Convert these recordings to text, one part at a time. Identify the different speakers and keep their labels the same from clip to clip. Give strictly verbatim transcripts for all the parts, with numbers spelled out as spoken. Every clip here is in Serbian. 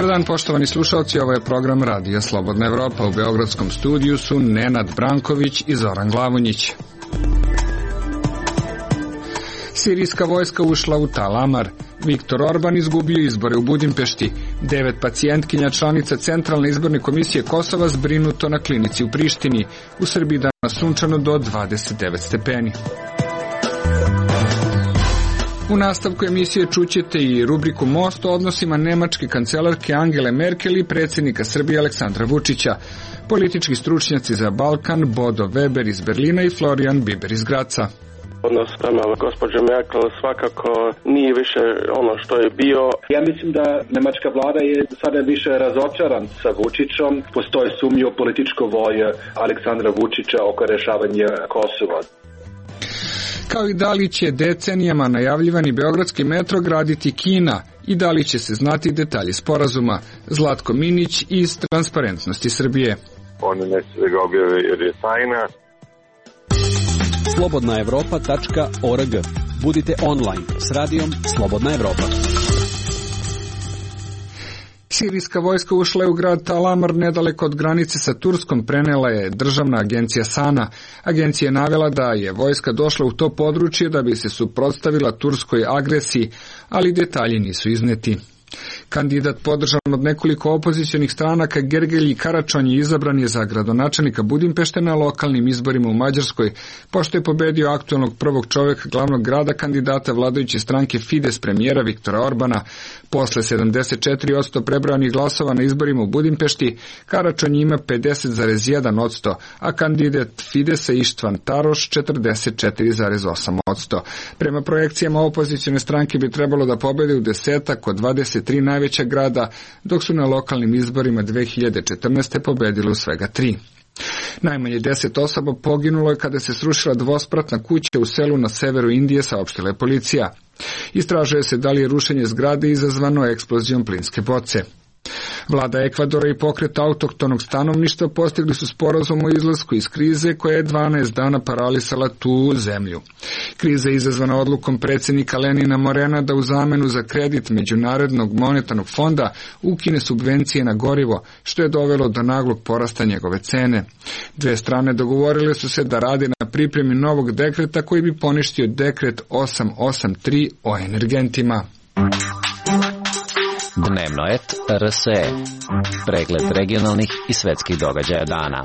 Speaker 1: Dobar dan, poštovani slušalci, ovo je program Radija Slobodna Evropa. U beogradskom studiju su Nenad Branković i Zoran Glavonjić. Sirijska vojska ušla u Tal Amar. Viktor Orban izgubio izbore u Budimpešti. Devet pacijentkinja članica Centralne izborne komisije Kosova zbrinuto na klinici u Prištini. U Srbiji danas sunčano do dvadeset devet stepeni. U nastavku emisije čućete i rubriku Most o odnosima nemačke kancelarke Angele Merkel i predsjednika Srbije Aleksandra Vučića. Politički stručnjaci za Balkan Bodo Weber iz Berlina i Florian Biber iz Graca.
Speaker 2: Odnos prema gospođe Merkel svakako nije više ono što je bio.
Speaker 3: Ja mislim da nemačka vlada je sada više razočaran sa Vučićom. Postoji sumnja u političku volju Aleksandra Vučića oko rješavanja Kosova.
Speaker 1: Kao i da li će decenijama najavljivani beogradski metro graditi Kina i da li će se znati detalji sporazuma. Zlatko Minić iz Transparentnosti Srbije.
Speaker 4: Oni neće da ga objave jer je tajna.
Speaker 5: slobodna evropa tačka org. Budite online s radijom Slobodna Evropa.
Speaker 1: Sirijska vojska ušla je u grad Tal Amar nedaleko od granice sa Turskom, prenela je državna agencija Sana. Agencija je navela da je vojska došla u to područje da bi se suprotstavila turskoj agresiji, ali detalji nisu izneti. Kandidat podržan od nekoliko opozicionih stranaka Gergelji Karačonji izabran je za gradonačelnika Budimpešte na lokalnim izborima u Mađarskoj, pošto je pobedio aktualnog prvog čovjeka glavnog grada, kandidata vladajuće stranke Fides premijera Viktora Orbana. Posle sedamdeset četiri posto prebrojanih glasova na izborima u Budimpešti, Karačonji ima pedeset zarez jedan posto, a kandidat Fidesa Ištvan Taroš četrdeset četiri zarez osam posto. Prema projekcijama opozicione stranke bi trebalo da pobede u desetak od dvadeset tri najveća grada, dok su na lokalnim izborima dve hiljade četrnaeste pobedili u svega tri. Najmanje deset osoba poginulo je kada se srušila dvospratna kuća u selu na severu Indije, saopštila je policija. Istražuje se da li je rušenje zgrade izazvano eksplozijom plinske boce. Vlada Ekvadora i pokret autohtonog stanovništva postigli su sporazum o izlasku iz krize koja je dvanaest dana paralisala tu zemlju. Kriza je izazvana odlukom predsjednika Lenina Morena da u zamenu za kredit Međunarodnog monetarnog fonda ukine subvencije na gorivo, što je dovelo do naglog porasta njegove cene. Dve strane dogovorile su se da rade na pripremi novog dekreta koji bi poništio dekret osam osam tri o energentima.
Speaker 6: Dnevno et R S E. Pregled regionalnih i svetskih događaja dana.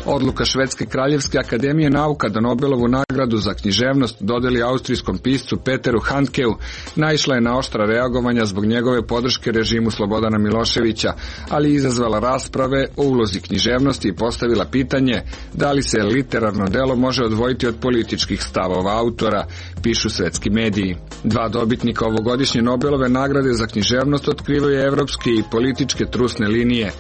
Speaker 1: Odluka Švedske kraljevske akademije nauka da Nobelovu nagradu za književnost dodeli austrijskom piscu Peteru Handkeu naišla je na oštra reagovanja zbog njegove podrške režimu Slobodana Miloševića, ali izazvala rasprave o ulozi književnosti i postavila pitanje da li se literarno delo može odvojiti od političkih stavova autora, pišu svetski mediji. Dva dobitnika ovogodišnje Nobelove nagrade za književnost otkrivaju evropske i političke trusne linije.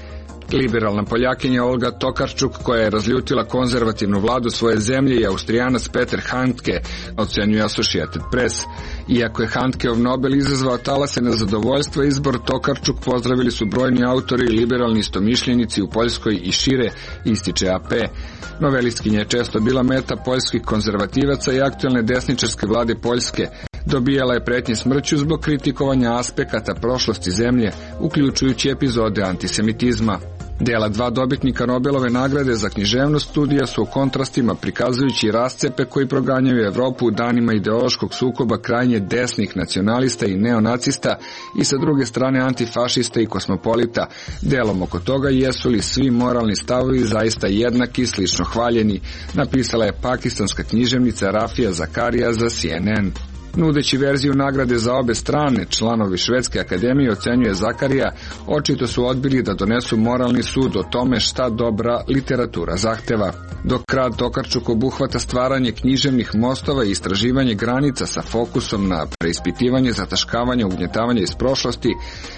Speaker 1: Liberalna Poljakinja Olga Tokarčuk, koja je razljutila konzervativnu vladu svoje zemlje, i Austrijanac Peter Handke, ocenjuje Associated Press. Iako je Handkeov Nobel izazvao talase nezadovoljstva, izbor Tokarčuk pozdravili su brojni autori i liberalni istomišljenici u Poljskoj i šire, ističe A P. Novelistkinja je često bila meta poljskih konzervativaca i aktualne desničarske vlade Poljske. Dobijala je pretnje smrću zbog kritikovanja aspekata prošlosti zemlje, uključujući epizode antisemitizma. Dela dva dobitnika Nobelove nagrade za književnost studija su o kontrastima, prikazujući rascepe koji proganjaju Evropu u danima ideološkog sukoba krajnje desnih nacionalista i neonacista i sa druge strane antifašista i kosmopolita. Delom oko toga jesu li svi moralni stavovi zaista jednaki i slično hvaljeni, napisala je pakistanska književnica Rafija Zakarija za C N N. Nudeći verziju nagrade za obe strane, članovi Švedske akademije, ocenjuje Zakarija, očito su odbili da donesu moralni sud o tome šta dobra literatura zahteva. Dok rad Tokarčuk obuhvata stvaranje književnih mostova i istraživanje granica sa fokusom na preispitivanje, zataškavanje, ugnjetavanje iz prošlosti,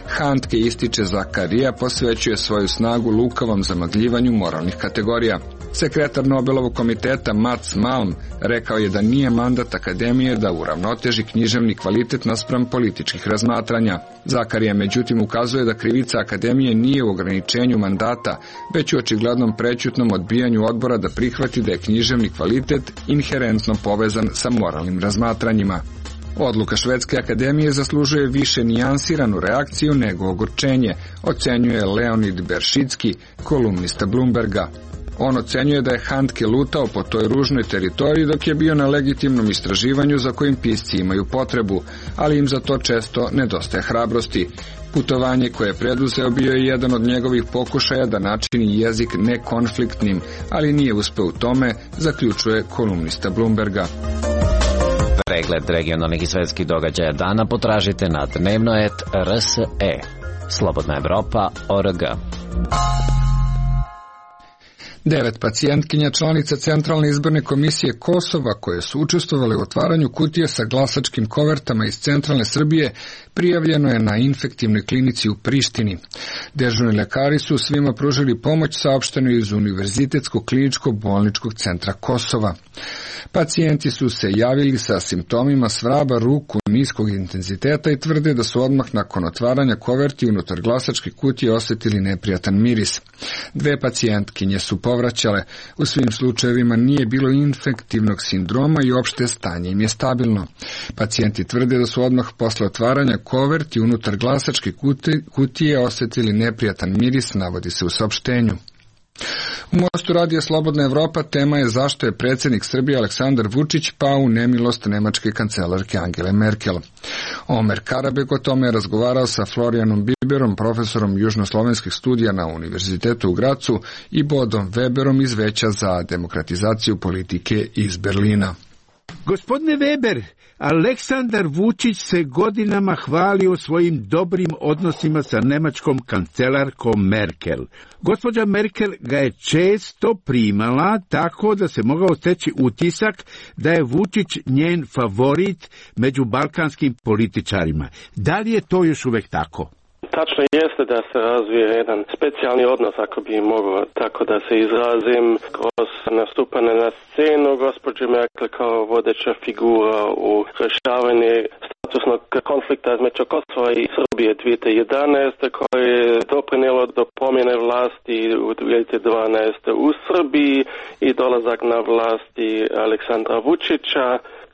Speaker 1: Handke, ističe Zakarija, posvećuje svoju snagu lukavom zamagljivanju moralnih kategorija. Sekretar Nobelovog komiteta Mats Malm rekao je da nije mandat akademije da uravnoteži književni kvalitet naspram političkih razmatranja. Zakarija međutim ukazuje da krivica akademije nije u ograničenju mandata, već u očiglednom prećutnom odbijanju odbora da prihvati da je književni kvalitet inherentno povezan sa moralnim razmatranjima. Odluka Švedske akademije zaslužuje više nijansiranu reakciju nego ogorčenje, ocenjuje Leonid Beršicki, kolumnista Bloomberga. On ocenjuje da je Handke lutao po toj ružnoj teritoriji dok je bio na legitimnom istraživanju za kojim pisci imaju potrebu, ali im za to često nedostaje hrabrosti. Putovanje koje je preduzeo bio je jedan od njegovih pokušaja da načini jezik nekonfliktnim, ali nije uspeo u tome, zaključuje kolumnista Bloomberga.
Speaker 6: Pregled regionalnih i svetskih događaja dana potražite na dnevno et er es e. Slobodna Evropa точка org.
Speaker 1: Devet pacijentkinja članica Centralne izborne komisije Kosova koje su učestvovale u otvaranju kutije sa glasačkim kovertama iz centralne Srbije prijavljeno je na infektivnoj klinici u Prištini. Dežurni lekari su svima pružili pomoć, saopšteno iz Univerzitetskog kliničkog bolničkog centra Kosova. Pacijenti su se javili sa simptomima svraba ruku niskog intenziteta i tvrde da su odmah nakon otvaranja koverti unutar glasačke kutije osjetili neprijatan miris. Dve pacijentkinje su povraćale. U svim slučajevima nije bilo infektivnog sindroma i opšte stanje im je stabilno. Pacijenti tvrde da su odmah posle otvaranja koverti unutar glasačke kutije osjetili neprijatan miris, navodi se u saopštenju. U Mostu radija Slobodna Evropa tema je zašto je predsjednik Srbije Aleksandar Vučić pao u nemilost nemačke kancelarke Angele Merkel. Omer Karabek o tome je razgovarao sa Florijanom Biberom, profesorom južnoslovenskih studija na Univerzitetu u Gracu, i Bodom Weberom iz Veća za demokratizaciju politike iz Berlina.
Speaker 7: Gospodine Weber, Aleksandar Vučić se godinama hvalio svojim dobrim odnosima sa nemačkom kancelarkom Merkel. Gospođa Merkel ga je često primala tako da se mogao steći utisak da je Vučić njen favorit među balkanskim političarima. Da li je to još uvijek tako?
Speaker 2: Tačno jeste da se razvije jedan specijalni odnos, ako bi mogao tako da se izrazim, kroz nastupane na scenu gospođe Merkel kao vodeća figura u rješavanju statusnog konflikta između Kosova i Srbije dvije tisuće jedanaeste koje je doprinijelo do promjene vlasti u dvije tisuće dvanaeste u Srbiji i dolazak na vlasti Aleksandra Vučića.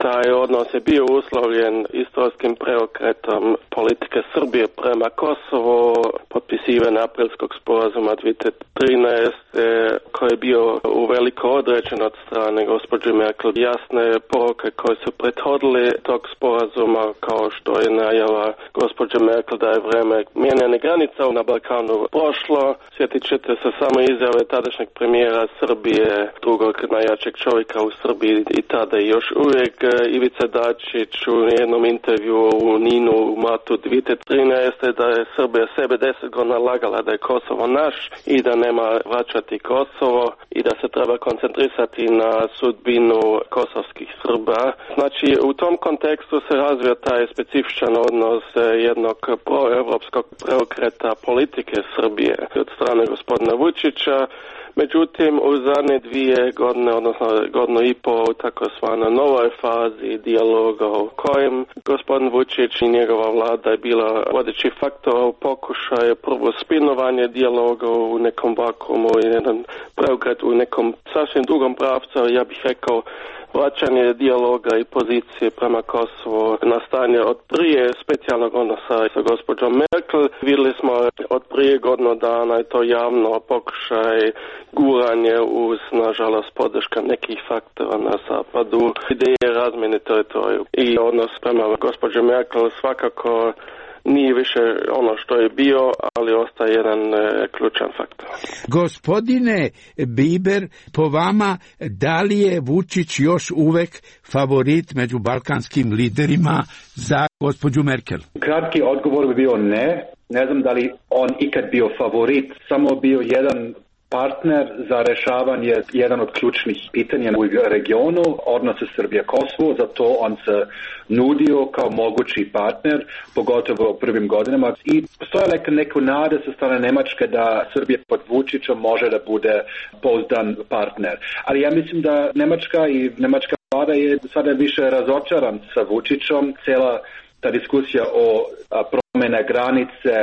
Speaker 2: Taj odnos je bio uslovljen istorijskim preokretom politike Srbije prema Kosovo, potpisivanje aprilskog sporazuma dvije tisuće trinaeste koji je bio uveliko određen od strane gospođe Merkel. Jasne poruke koje su prethodile tog sporazuma, kao što je najava gospođe Merkel da je vreme mijenjanja granica na Balkanu prošlo. Sjetit ćete se samo izjave tadašnjeg premijera Srbije, drugog najjačeg čovjeka u Srbiji i tada i još uvijek Ivica Dačić u jednom intervju u Ninu u martu dvije tisuće trinaeste da je Srbija sebe deset godina lagala da je Kosovo naš i da nema vraćati Kosovo i da se treba koncentrisati na sudbinu kosovskih Srba. Znači, u tom kontekstu se razvija taj specifičan odnos jednog proevropskog preokreta politike Srbije od strane gospodina Vučića. Međutim, u zadnje dvije godine, odnosno godinu i pol, takozvana novoj fazi dijaloga u kojem gospodin Vučić i njegova vlada je bila vodeći faktor u pokušaju prvo spinovanje dijaloga u nekom vakuumu i jedan preokret u nekom sasvim drugom pravcu, ja bih rekao vraćanje dijaloga i pozicije prema Kosovu na stanje od prije specijalnog odnosa sa gospođom Merkel. Vidjeli smo od prije godinu dana i to javno pokušaj guranje uz, nažalost, podrška nekih faktora na zapadu, ideje razmjene teritoriju i odnos prema gospođe Merkel svakako nije više ono što je bio, ali ostaje jedan e, ključan faktor.
Speaker 7: Gospodine Biber, po vama, da li je Vučić još uvek favorit među balkanskim liderima za gospođu Merkel?
Speaker 3: Kratki odgovor bi bio ne. Ne znam da li on ikad bio favorit, samo bio jedan partner za rešavanje jedan od ključnih pitanja u regionu, odnose Srbija-Kosovo, zato on se nudio kao mogući partner, pogotovo u prvim godinama. I postoje neka nada sa strane Nemačke da Srbija pod Vučićem može da bude pouzdan partner. Ali ja mislim da Nemačka i Nemačka vlada je sada više razočaran sa Vučićem. Cijela ta diskusija o promjene granice,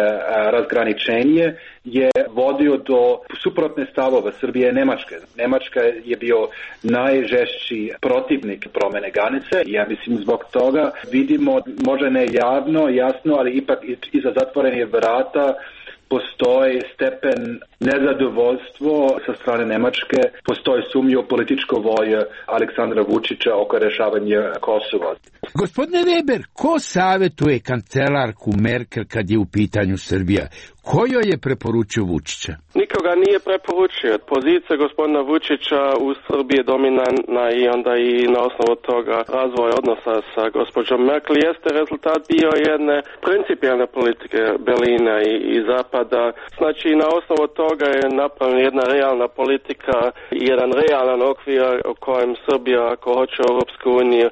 Speaker 3: razgraničenje je vodio do suprotne stavova Srbije i Nemačke. Nemačka je bio najžešći protivnik promene granice. Ja mislim zbog toga vidimo, možda ne javno, jasno, ali ipak iza zatvorenih vrata postoji stepen nezadovoljstvo sa strane Nemačke, postoji sumnja u političko volje Aleksandra Vučića oko rešavanja Kosova.
Speaker 7: Gospodine Weber, ko savjetuje kancelarku Merkel kad je u pitanju Srbija? Ko joj je preporučio Vučića?
Speaker 2: Nikoga nije preporučio. Pozicija gospodina Vučića u Srbiji je dominantna i onda i na osnovu toga razvoj odnosa sa gospođom Merkel jeste rezultat bio jedne principijalne politike Berlina i, i Zapada. Znači na osnovu toga je napravljena jedna realna politika i jedan realan okvir u kojem Srbija, ako hoće u Europsku uniju,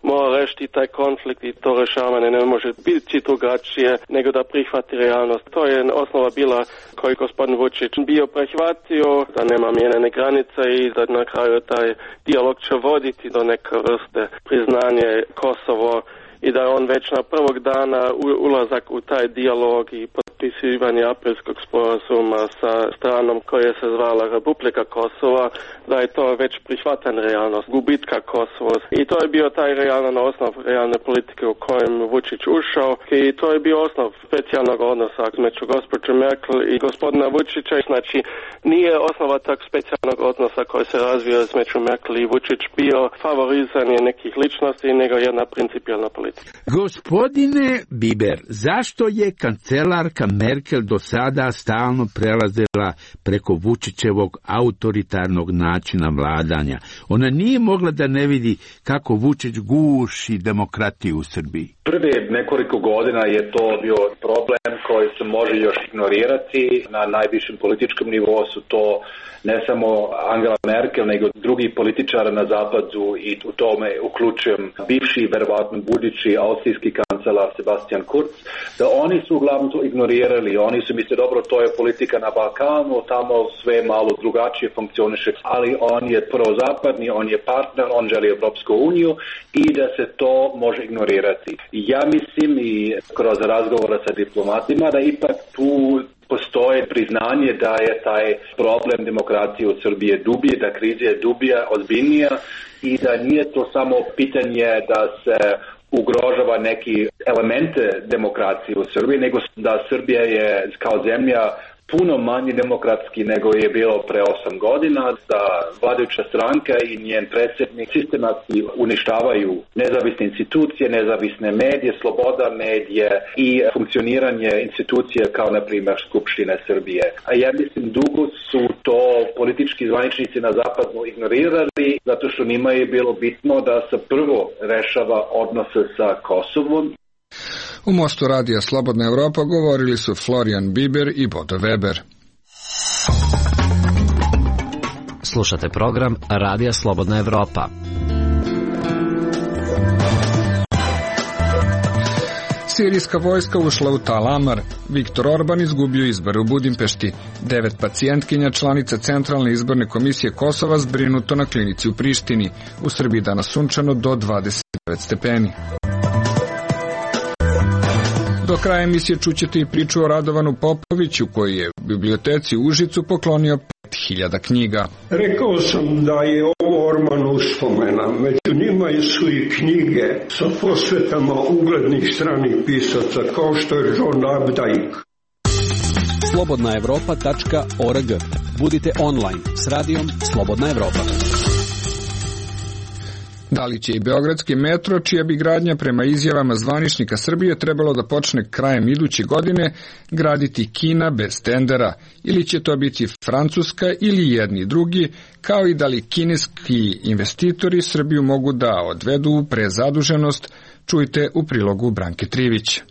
Speaker 2: mora rešiti taj konflikt i to rešavanje ne može biti drugačije nego da prihvati realnost. To je osnova bila koju gospodin Vučić bio prihvatio, da nema mijenjene granice i da na kraju taj dijalog će voditi do neke vrste priznanje Kosovo i da on već na prvog dana ulazak u taj dijalog i potpisivanje aprilskog sporazuma sa stranom koja se zvala Republika Kosova, da je to već prihvatan realnost gubitka Kosova. I to je bio taj realan osnov realne politike u kojem Vučić ušao i to je bio osnov specijalnog odnosa među gospođom Merkel i gospodina Vučića. Znači nije osnova tak specijalnog odnosa koji se razvio među Merkel i Vučić bio favorizanje nekih ličnosti nego jedna principijalna politika.
Speaker 7: Gospodine Biber, zašto je kancelarka Merkel do sada stalno prelazila preko Vučićevog autoritarnog načina vladanja? Ona nije mogla da ne vidi kako Vučić guši demokratiju u Srbiji.
Speaker 3: Prve nekoliko godina je to bio problem koji se može još ignorirati. Na najvišem političkom nivou su to ne samo Angela Merkel, nego drugi političari na zapadu i u tome uključujem bivši, verovatno budući austrijski kancelar Sebastian Kurz, da oni su uglavnom to ignorirali. Oni su misle, dobro, to je politika na Balkanu, tamo sve malo drugačije funkcioniše, ali on je prozapadni, on je partner, on želi Evropsku uniju i da se to može ignorirati. Ja mislim i kroz razgovora sa diplomatima da ipak tu postoje priznanje da je taj problem demokracije u Srbiji dublji, da kriza je dublja, ozbiljnija i da nije to samo pitanje da se ugrožava neki elemente demokracije u Srbiji, nego da Srbija je kao zemlja puno manje demokratski nego je bilo pre osam godina, da vladajuća stranka i njen predsjednik sistematski uništavaju nezavisne institucije, nezavisne medije, sloboda medije i funkcioniranje institucija kao na primjer Skupština Srbije. A ja mislim dugo su to politički zvaničnici na zapadu ignorirali zato što njima je bilo bitno da se prvo rešava odnose sa Kosovom.
Speaker 1: U Mostu radija Slobodna Evropa govorili su Florian Biber i Bodo Weber.
Speaker 6: Slušate program Radija Slobodna Evropa.
Speaker 1: Sirijska vojska ušla u Tal Amar. Viktor Orban izgubio izbore u Budimpešti. Devet pacijentkinja članica Centralne izborne komisije Kosova zbrinuto na klinici u Prištini. U Srbiji danas sunčano do dvadeset devet stepeni. Do kraja emisije čućete i priču o Radovanu Popoviću koji je u biblioteci u Užicu poklonio pet hiljada knjiga.
Speaker 8: Rekao sam da je ovo Orman uspomena, među njima su i knjige sa posvetama uglednih stranih pisaca kao što je John Updike.
Speaker 5: slobodna evropa tačka org. Budite online s radijom Slobodna Evropa.
Speaker 1: Da li će i beogradski metro, čija bi gradnja prema izjavama zvaničnika Srbije trebalo da počne krajem iduće godine, graditi Kina bez tendera, ili će to biti Francuska ili jedni drugi, kao i da li kineski investitori Srbiju mogu da odvedu u prezaduženost, čujte u prilogu Branke Trivić.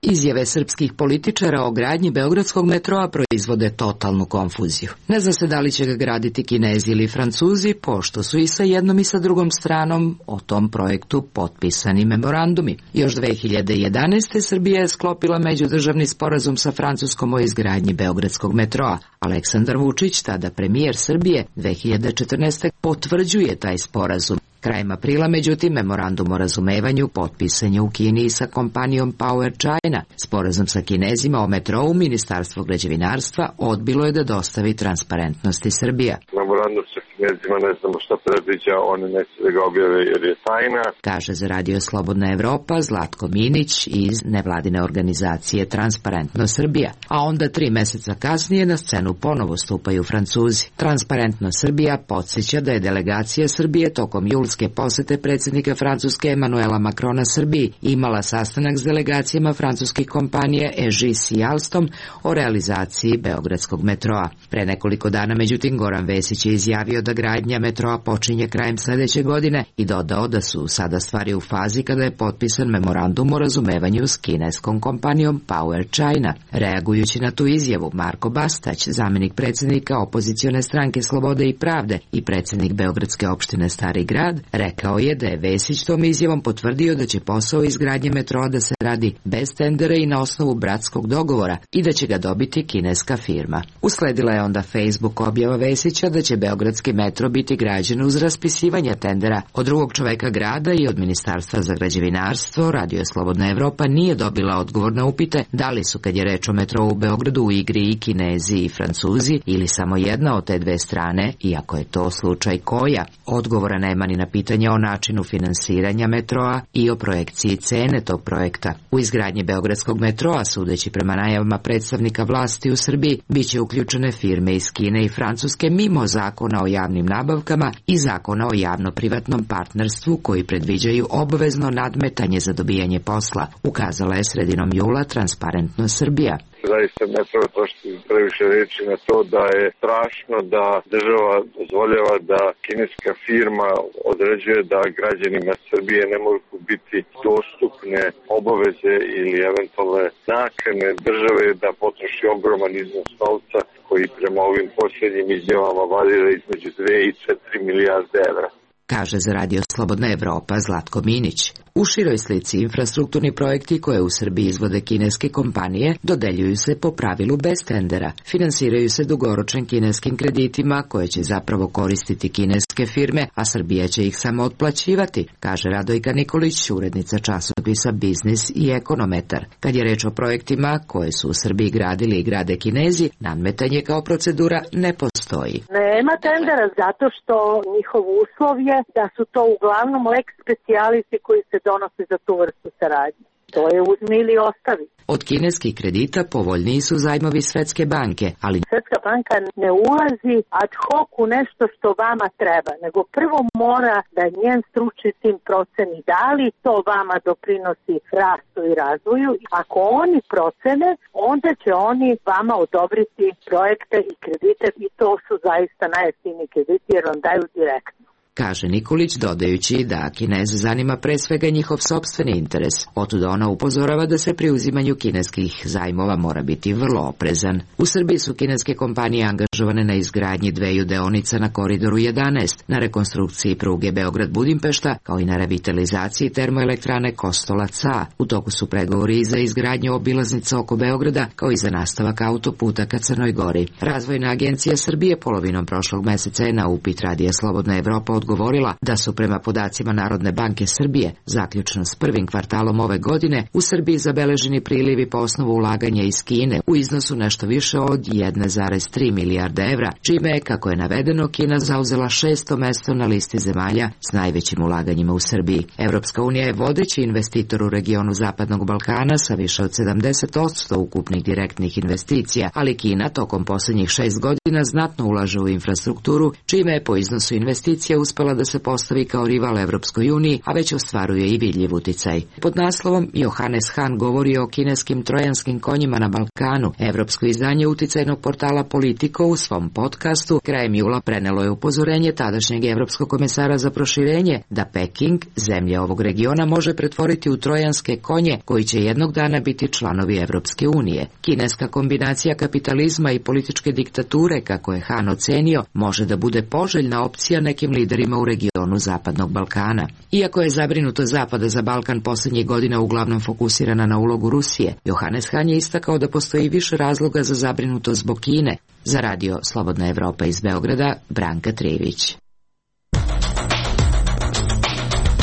Speaker 9: Izjave srpskih političara o gradnji beogradskog metroa proizvode totalnu konfuziju. Ne zna se da li će ga graditi Kinezi ili Francuzi, pošto su i sa jednom i sa drugom stranom o tom projektu potpisani memorandumi. Još dve hiljade jedanaeste. Srbija je sklopila međudržavni sporazum sa Francuskom o izgradnji beogradskog metroa. Aleksandar Vučić, tada premijer Srbije, dve hiljade četrnaeste. potvrđuje taj sporazum. Krajem aprila, međutim, memorandum o razumevanju potpisan je u Kini sa kompanijom Power China. Sporazum sa Kinezima o metrou Ministarstvo građevinarstva odbilo je da dostavi Transparentnosti Srbija.
Speaker 4: Memorandum sa Kinezima ne znamo šta predviđa, oni neće da ga objave jer je tajna.
Speaker 9: Kaže za Radio Slobodna Evropa Zlatko Minić iz nevladine organizacije Transparentno Srbija. A onda tri meseca kasnije na scenu ponovo stupaju Francuzi. Transparentno Srbija podsjeća da je delegacija Srbije tokom julske posete predsjednika Francuske Emanuela Macrona Srbiji imala sastanak s delegacijama francuskih kompanija E G S i Alstom o realizaciji beogradskog metroa. Pre nekoliko dana, međutim, Goran Vesić je izjavio da gradnja metroa počinje krajem sledeće godine i dodao da su sada stvari u fazi kada je potpisan memorandum o razumevanju s kineskom kompanijom Power China. Reagujući na tu izjavu, Marko Bastać, zamenik predsjednika opozicione stranke Slobode i pravde i predsjednik Beogradske opštine Stari grad, rekao je da je Vesić tom izjavom potvrdio da će posao izgradnje metroa da se radi bez tendera i na osnovu bratskog dogovora i da će ga dobiti kineska firma. Usledila je onda Facebook objava Vesića da će beogradski metro biti građen uz raspisivanje tendera. Od drugog čoveka grada i od Ministarstva za građevinarstvo Radio Slobodna Evropa nije dobila odgovor na upite da li su, kad je reč o metrou u Beogradu, u igri i Kinezi i Francuzi ili samo jedna od te dve strane, iako je to slučaj koja. Odgovora nema ni na pitanje o načinu finansiranja metroa i o projekciji cene tog projekta. U izgradnji beogradskog metroa, sudeći prema najavama predstavnika vlasti u Srbiji, biće uključene firme iz Kine i Francuske mimo zakona o javnim nabavkama i zakona o javno-privatnom partnerstvu koji predviđaju obavezno nadmetanje za dobijanje posla, ukazala je sredinom jula Transparentno Srbija.
Speaker 4: Zaista ne treba trošiti previše reči na to da je strašno da država dozvoljava da kineska firma određuje da građanima Srbije ne mogu biti dostupne obaveze ili eventualne nakane države da potroši ogroman iznos novca koji prema ovim posljednjim izjavama varira između dve i četiri milijarde evra.
Speaker 9: Kaže za Radio Slobodna Evropa Zlatko Minić. U široj slici infrastrukturni projekti koje u Srbiji izvode kineske kompanije dodeljuju se po pravilu bez tendera. Finansiraju se dugoročnim kineskim kreditima koje će zapravo koristiti kineske firme, a Srbija će ih samo otplaćivati, kaže Radojka Nikolić, urednica časopisa Biznis i Ekonometar. Kad je reč o projektima koje su u Srbiji gradili i grade Kinezi, nadmetanje kao procedura ne postoji.
Speaker 10: Nema tendera zato što njihov uslov je da su to uglavnom lex specialisi koji se donose za tu vrstu saradnje. To je uzmi ili ostavi.
Speaker 9: Od kineskih kredita povoljniji su zajmovi Svetske banke, ali
Speaker 10: Svetska banka ne ulazi ad hoc u nešto što vama treba, nego prvo mora da njen stručni tim proceni da li to vama doprinosi rastu i razvoju. Ako oni procene, onda će oni vama odobriti projekte i kredite i to su zaista najjeftiniji krediti jer vam daju direktno.
Speaker 9: Kaže Nikolić, dodajući da Kineze zanima pre svega njihov sopstveni interes. Otuda ona upozorava da se pri uzimanju kineskih zajmova mora biti vrlo oprezan. U Srbiji su kineske kompanije angažovane na izgradnji dveju deonica na Koridoru jedanaest, na rekonstrukciji pruge Beograd-Budimpešta, kao i na revitalizaciji termoelektrane Kostolac-A. U toku su pregovori i za izgradnju obilaznica oko Beograda, kao i za nastavak autoputa ka Crnoj Gori. Razvojna agencija Srbije polovinom prošlog meseca je na upit Radija Slobodna Evropa odgovorila da su prema podacima Narodne banke Srbije, zaključno s prvim kvartalom ove godine, u Srbiji zabeleženi prilivi po osnovu ulaganja iz Kine u iznosu nešto više od jedan zarez tri milijarde evra, čime je, kako je navedeno, Kina zauzela šesto mesto na listi zemalja s najvećim ulaganjima u Srbiji. Evropska unija je vodeći investitor u regionu Zapadnog Balkana sa više od sedamdeset posto ukupnih direktnih investicija, ali Kina tokom posljednjih šest godina znatno ulaže u infrastrukturu, čime je po iznosu investicija uspela da se postavi kao rival Evropskoj uniji, a već ostvaruje i vidljiv uticaj. Pod naslovom Johannes Hahn govori o kineskim trojanskim konjima na Balkanu. Evropsko izdanje uticajnog portala Politico u svom podcastu krajem jula prenelo je upozorenje tadašnjeg evropskog komesara za proširenje da Peking, zemlje ovog regiona, može pretvoriti u trojanske konje koji će jednog dana biti članovi Evropske unije. Kineska kombinacija kapitalizma i političke diktature, kako je Hahn ocenio, može da bude poželjna opcija nekim liderima u regionu Zapadnog Balkana. Iako je zabrinuto Zapada za Balkan posljednjih godina uglavnom fokusirana na ulogu Rusije, Johannes Hahn je istakao da postoji više razloga za zabrinutost zbog Kine. Za Radio Slobodna Evropa iz Beograda, Branka Trivić.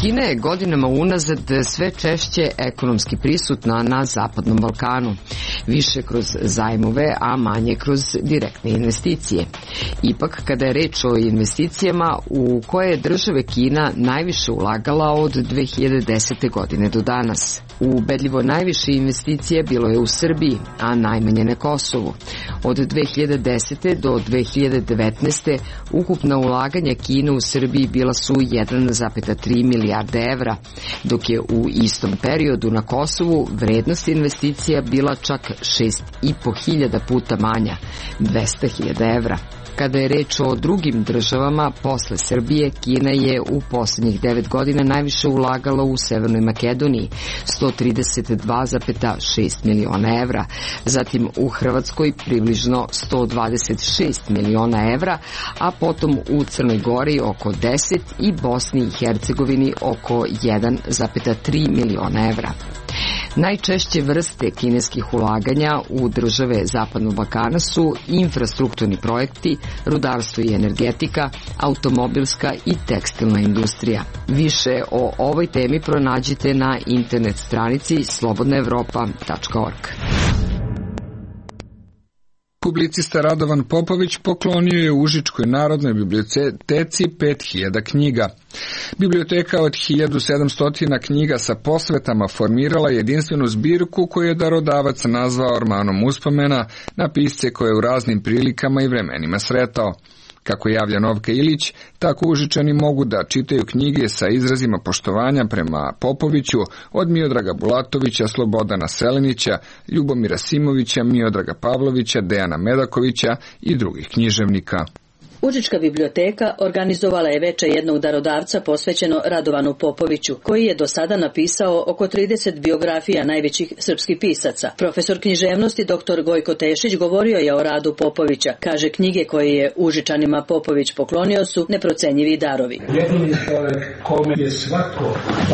Speaker 9: Kina je godinama unazad sve češće ekonomski prisutna na Zapadnom Balkanu, više kroz zajmove, a manje kroz direktne investicije. Ipak, kada je reč o investicijama, u koje je države Kina najviše ulagala od dve hiljade desete. godine do danas. Ubedljivo najviše investicije bilo je u Srbiji, a najmanje na Kosovu. Od dve hiljade desete. do dve hiljade devetnaeste. ukupna ulaganja Kine u Srbiji bila su jedan zarez tri milijarde evra, dok je u istom periodu na Kosovu vrednost investicija bila čak šest i po hiljada puta manja, dvesta hiljada evra. Kada je reč o drugim državama, posle Srbije, Kina je u poslednjih devet godina najviše ulagala u Severnoj Makedoniji, sto trideset dva zarez šest miliona evra, zatim u Hrvatskoj približno sto dvadeset šest miliona evra, a potom u Crnoj Gori oko deset i Bosni i Hercegovini oko jedan zarez tri miliona evra. Najčešće vrste kineskih ulaganja u države Zapadnog Balkana su infrastrukturni projekti, rudarstvo i energetika, automobilska i tekstilna industrija. Više o ovoj temi pronađite na internet stranici slobodna evropa tačka org.
Speaker 1: Publicista Radovan Popović poklonio je Užičkoj narodnoj biblioteci pet hiljada knjiga. Biblioteka od hiljadu sedamsto knjiga sa posvetama formirala jedinstvenu zbirku koju je darodavac nazvao ormanom uspomena na pisce koje je u raznim prilikama i vremenima sretao. Kako javlja Novka Ilić, tako Užičani mogu da čitaju knjige sa izrazima poštovanja prema Popoviću od Miodraga Bulatovića, Slobodana Selenića, Ljubomira Simovića, Miodraga Pavlovića, Dejana Medakovića i drugih književnika.
Speaker 11: Užička biblioteka organizovala je veče jednog darodavca posvećeno Radovanu Popoviću, koji je do sada napisao oko trideset biografija najvećih srpskih pisaca. Profesor književnosti dr Gojko Tešić govorio je o radu Popovića. Kaže, knjige koje je Užičanima Popović poklonio su neprocenjivi darovi.
Speaker 12: Jedini čovjek kome je svako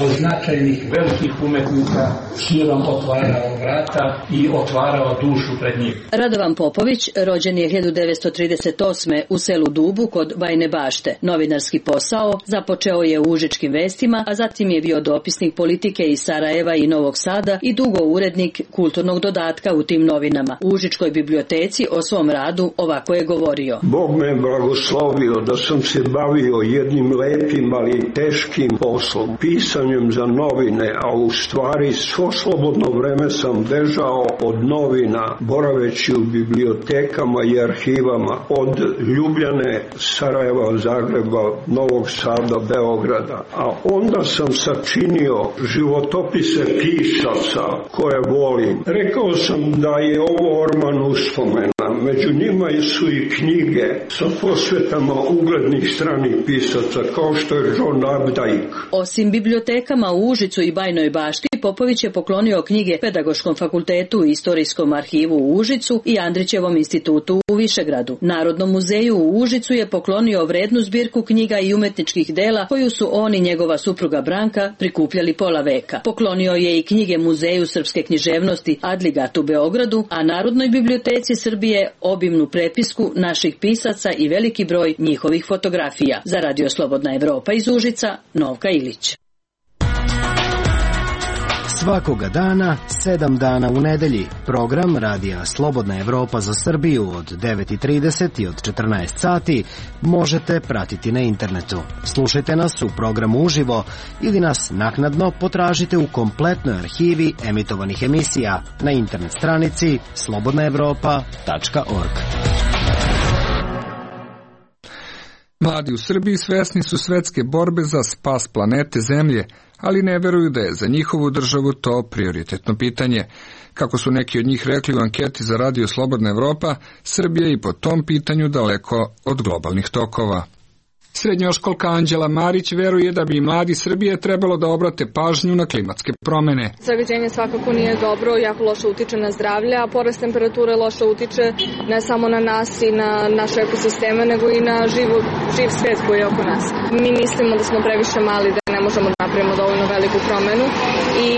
Speaker 12: od značajnih velikih umetnika silom otvarao vrata i otvarao dušu pred njim.
Speaker 11: Radovan Popović rođen je hiljadu devetsto trideset osme. u selu Dubu kod Bajne Bašte. Novinarski posao započeo je u Užičkim vestima, a zatim je bio dopisnik politike iz Sarajeva i Novog Sada i dugo urednik kulturnog dodatka u tim novinama. U Užičkoj biblioteci o svom radu ovako je govorio.
Speaker 8: Bog me blagoslovio da sam se bavio jednim lepim, ali teškim poslom, pisanjem za novine, a u stvari svo slobodno vreme sam bežao od novina, boraveći u bibliotekama i arhivama, od Ljubljane, Sarajeva, Zagreba, Novog Sada, Beograda. A onda sam sačinio životopise pisaca koje volim. Rekao sam da je ovo orman uspomena. Među njima su i knjige sa posvetama uglednih stranih pisaca, kao što je John Updike.
Speaker 11: Osim bibliotekama u Užicu i Bajnoj Bašti, Popović je poklonio knjige Pedagoškom fakultetu i Istorijskom arhivu u Užicu i Andrićevom institutu u Višegradu. Narodnom muzeju u Užicu je poklonio vrednu zbirku knjiga i umetničkih dela koju su on i njegova supruga Branka prikupljali pola veka. Poklonio je i knjige Muzeju srpske književnosti Adligat u Beogradu, a Narodnoj biblioteci Srbije obimnu prepisku naših pisaca i veliki broj njihovih fotografija. Za Radio Slobodna Evropa iz Užica, Novka Ilić.
Speaker 13: Svakoga dana, sedam dana u nedelji, program Radija Slobodna Evropa za Srbiju od devet i trideset i od četrnaest sati možete pratiti na internetu. Slušajte nas u programu uživo ili nas naknadno potražite u kompletnoj arhivi emitovanih emisija na internet stranici slobodna evropa tačka org.
Speaker 1: Mladi u Srbiji svesni su svetske borbe za spas planete Zemlje, ali ne veruju da je za njihovu državu to prioritetno pitanje. Kako su neki od njih rekli u anketi za Radio Slobodna Evropa, Srbija je i po tom pitanju daleko od globalnih tokova. Srednjoškolka Anđela Marić veruje da bi mladi Srbije trebalo da obrate pažnju na klimatske promene.
Speaker 14: Zagađenje svakako nije dobro, jako loše utiče na zdravlje, a porast temperature loše utiče ne samo na nas i na naše ekosisteme, nego i na živu, živ svet koji je oko nas. Mi mislimo da smo previše mali, da ne možemo da napravimo dovoljno veliku promenu i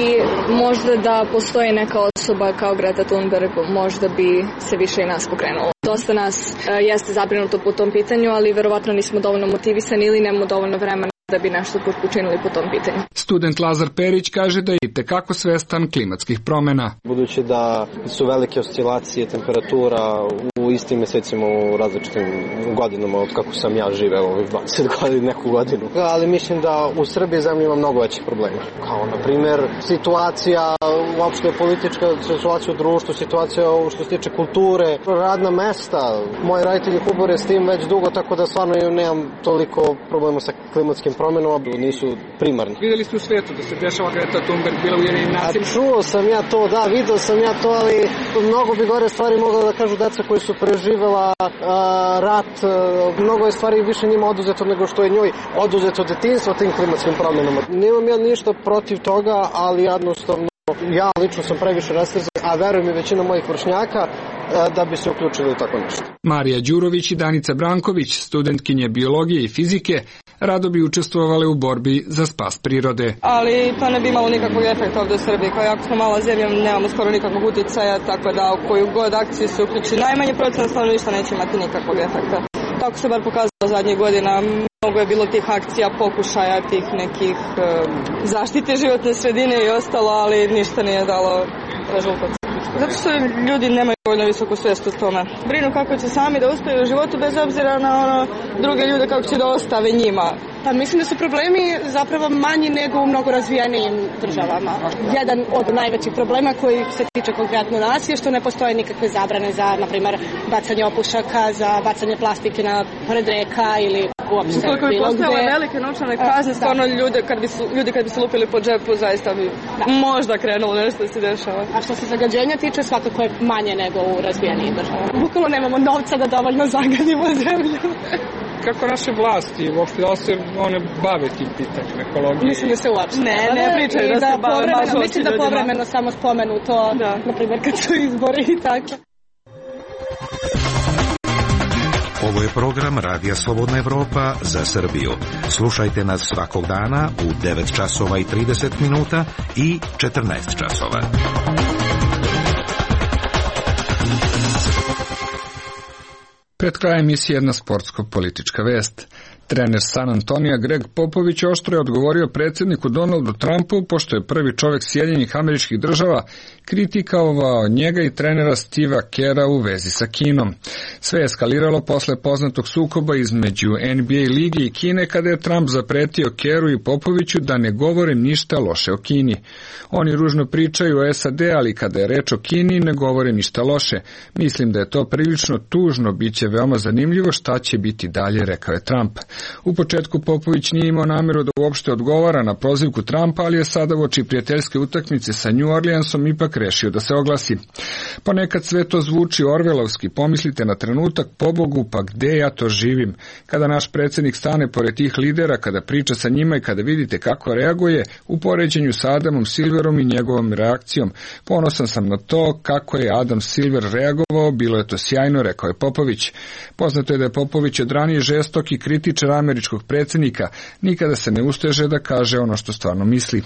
Speaker 14: možda da postoji neka osoba kao Greta Thunberg, možda bi se više i nas pokrenulo. Dosta nas e, jeste zabrinuto po tom pitanju, ali verovatno nismo dovoljno motivisani ili nemamo dovoljno vremena da bi nešto učinili po tom pitanju.
Speaker 1: Student Lazar Perić kaže da je itekako svestan klimatskih promjena.
Speaker 15: Budući da su velike oscilacije temperatura u istim mjesecima u različitim godinama od kako sam ja živeo ovih dvadeset godina, neku godinu. Ali mislim da u Srbiji zemlji ima mnogo većih problema. Kao na primjer situacija uopšte politička, situacija u društvu, situacija što se tiče kulture, radna mesta. Moji roditelji kubore s tim već dugo, tako da stvarno nemam toliko problema sa klimatskim promjenama, nisu primarni.
Speaker 1: Vidjeli ste u svijetu da se dešava Greta Thunberg bila u Ujedinjenim nacijama?
Speaker 15: Čuo sam ja to, da, video sam ja to, ali mnogo bi gore stvari mogla da kažu deca koji su preživela uh, rat, uh, mnogo je stvari više njima oduzeto nego što je njoj oduzeto detinjstvo tim klimatskim promjenama. Nemam ja ništa protiv toga, ali jednostavno ja lično sam previše rastrzan, a verujem i većina mojih vršnjaka da bi se uključili u tako nešto.
Speaker 1: Marija Đurović i Danica Branković, studentkinje biologije i fizike, rado bi učestvovale u borbi za spas prirode.
Speaker 16: Ali to ne bi imalo nikakvog efekta ovdje u Srbiji, kao jako smo mala zemlja, nemamo skoro nikakvog utjecaja, tako da u koju god akciju se uključi najmanje procent stanovništva neće imati nikakvog efekta. Tako se bar pokazalo zadnjih godina. Mnogo je bilo tih akcija, pokušaja, tih nekih e, zaštite životne sredine i ostalo, ali ništa nije dalo rezultat. Zato što ljudi nemaju dovoljno visoku svijest o tome. Brinu kako će sami da uspiju u životu bez obzira na ono druge ljude kako će da ostave njima.
Speaker 17: Pa mislim da su problemi zapravo manji nego u mnogo razvijenijim državama. Jedan od najvećih problema koji se tiče konkretno nas je što ne postoje nikakve zabrane za, na primjer, bacanje opušaka, za bacanje plastike na pored reka ili uopšte bilo gde.
Speaker 16: Ukoliko bi postojale velike novčane kazne, stvarno ljude kad bi su, ljudi kad bi se lupili po džepu, zaista bi da. možda krenulo nešto da se dešava.
Speaker 17: A što se zagađenja tiče, svakako je manje nego u razvijenijim državama. Bukvalno nemamo novca da dovoljno zagadimo zemlju.
Speaker 1: Kako naše vlasti uopšte da se one bave tim pitanjem ekologije?
Speaker 17: Mislim da se uopšte
Speaker 16: ne, ne pričaju da, da se bave baš
Speaker 17: oči. Mislim da povremeno samo spomenu to, da. Na primjer kad su izbori i tako.
Speaker 18: Ovo je program Radija Slobodna Evropa za Srbiju. Slušajte nas svakog dana u devet časova i trideset minuta i četrnaest časova. Pred krajem emisije jedna sportsko-politička vest. Trener San Antonija Greg Popović oštro je odgovorio predsjedniku Donaldu Trumpu, pošto je prvi čovjek Sjedinjenih Američkih Država kritikovao njega i trenera Steva Kera u vezi sa Kinom. Sve je eskaliralo posle poznatog sukoba između N B A lige i Kine, kada je Trump zapretio Keru i Popoviću da ne govore ništa loše o Kini. Oni ružno pričaju o S A D, ali kada je reč o Kini ne govore ništa loše. Mislim da je to prilično tužno, bit će veoma zanimljivo šta će biti dalje, rekao je Trump. U početku Popović nije imao namjeru da uopšte odgovara na prozivku Trumpa, ali je sada uoči prijateljske utakmice sa New Orleansom ipak rešio da se oglasi. Ponekad sve to zvuči orvelovski, pomislite na trenutak, pobogu, pa gde ja to živim? Kada naš predsjednik stane pored tih lidera, kada priča sa njima i kada vidite kako reaguje u poređenju sa Adamom Silverom i njegovom reakcijom. Ponosan sam na to kako je Adam Silver reagovao, bilo je to sjajno, rekao je Popović. Poznato je da je Popović od ranije žestok i kritičar američkog predsjednika, nikada se ne usteže da kaže ono što stvarno misli.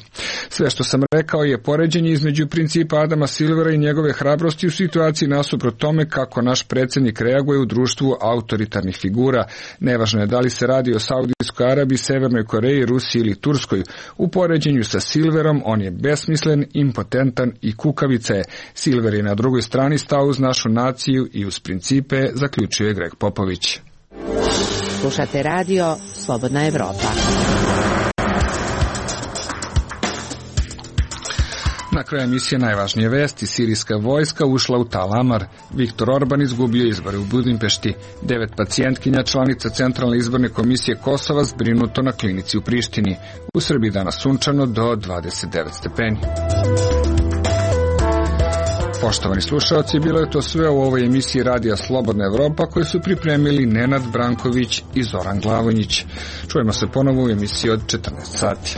Speaker 18: Sve što sam rekao je poređenje između principa Adama Silvera i njegove hrabrosti u situaciji nasuprot tome kako naš predsjednik reaguje u društvu autoritarnih figura. Nevažno je da li se radi o Saudijskoj Arabiji, Severnoj Koreji, Rusiji ili Turskoj. U poređenju sa Silverom on je besmislen, impotentan i kukavica je. Silver je na drugoj strani stao uz našu naciju i uz principe, zaključio je Greg Popović.
Speaker 9: Slušate radio Slobodna Evropa.
Speaker 1: Na kraju emisije najvažnije vesti. Sirijska vojska ušla u Tal Amar. Viktor Orban izgubio izbore u Budimpešti. Devet pacijentkinja, članica Centralne izborne komisije Kosova, zbrinuto na klinici u Prištini. U Srbiji danas sunčano do dvadeset devet stepeni. Poštovani slušalci, bilo je to sve u ovoj emisiji Radija Slobodna Evropa koju su pripremili Nenad Branković i Zoran Glavonjić. Čujemo se ponovo u emisiji od četrnaest sati.